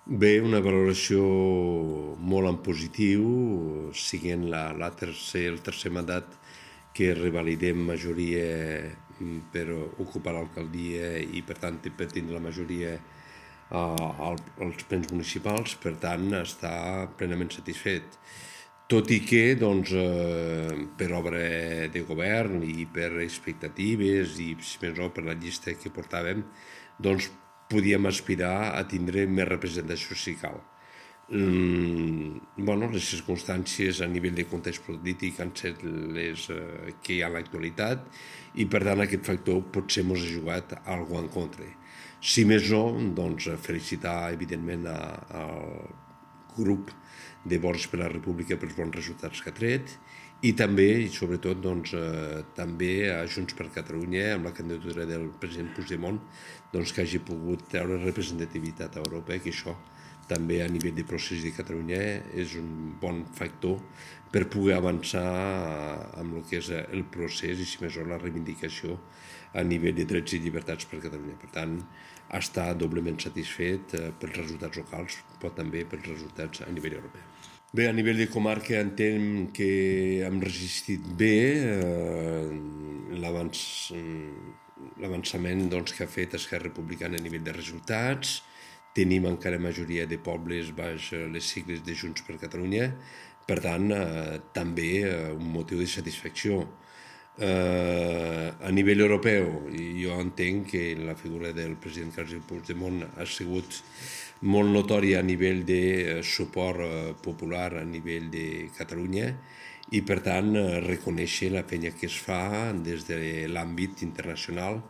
Bé, una valoració molt en positiu, siguent el tercer mandat que revalidem majoria per ocupar l'alcaldia i per tant per tindre la majoria als plens municipals, per tant està plenament satisfet. Tot i que, doncs, per obra de govern i per expectatives i, si més no, per la llista que portàvem, doncs podíem aspirar a tindre més representació si cal. Les circumstàncies a nivell de context polític han set les que hi ha a l'actualitat i, per tant, aquest factor potser ens ha jugat alguna en contra. Si més no, doncs, felicitar, evidentment, al grup de Vots per la República pels bons resultats que ha tret i també, i sobretot, doncs, també a Junts per Catalunya, amb la candidatura del president Puigdemont, doncs, que hagi pogut treure representativitat a Europa, que això també a nivell de procés de Catalunya és un bon factor per poder avançar amb el que és el procés i, si més no, la reivindicació a nivell de drets i llibertats per Catalunya. Per tant, està doblement satisfet pels resultats locals, però també pels resultats a nivell europeu. Bé, a nivell de comarca entenc que hem resistit bé l'avançament que ha fet Esquerra Republicana a nivell de resultats. Tenim encara majoria de pobles baix les sigles de Junts per Catalunya, per tant, també un motiu de satisfacció. A nivell europeu, jo entenc que la figura del president Carles Puigdemont ha sigut molt notòria a nivell de suport popular a nivell de Catalunya i, per tant, reconèixer la feina que es fa des de l'àmbit internacional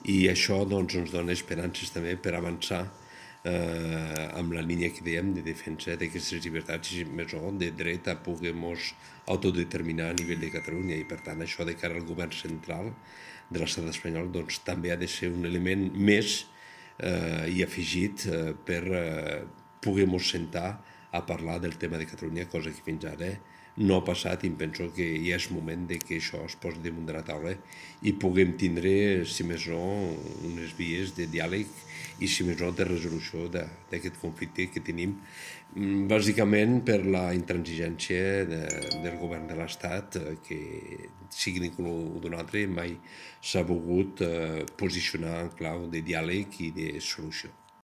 i això doncs, ens dona esperances també per avançar amb la línia que dèiem de defensa d'aquestes llibertats i més o de dret a poder-nos autodeterminar a nivell de Catalunya i per tant això de cara al govern central de l'estat espanyol doncs també ha de ser un element més i afegit per poder-nos sentar a parlar del tema de Catalunya, cosa que fins ara no ha passat i em penso que ja és moment que això es posi damunt de la taula i puguem tindre, si més no, unes vies de diàleg i, si més no, de resolució d'aquest conflicte que tenim, bàsicament per la intransigència del govern de l'Estat, que sigui d'un o d'un altre mai s'ha volgut posicionar en clau de diàleg i de solució.